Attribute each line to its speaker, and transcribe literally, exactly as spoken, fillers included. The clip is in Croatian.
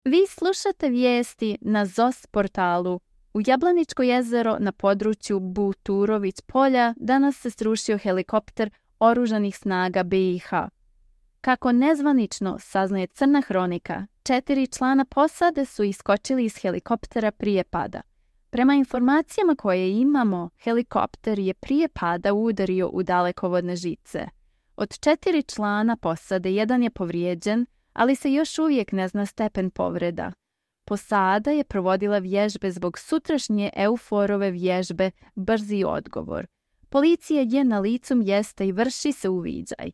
Speaker 1: Vi slušate vijesti na Z O S portalu. U Jablaničko jezero na području Buturović polja danas se srušio helikopter oružanih snaga B i H. Kako nezvanično saznaje Crna hronika, četiri člana posade su iskočili iz helikoptera prije pada. Prema informacijama koje imamo, helikopter je prije pada udario u dalekovodne žice. Od četiri člana posade jedan je povrijeđen, ali se još uvijek ne zna stepen povreda. Posada je provodila vježbe zbog sutrašnje EUFOR-ove vježbe Brzi odgovor. Policija je na licu mjesta i vrši se uviđaj.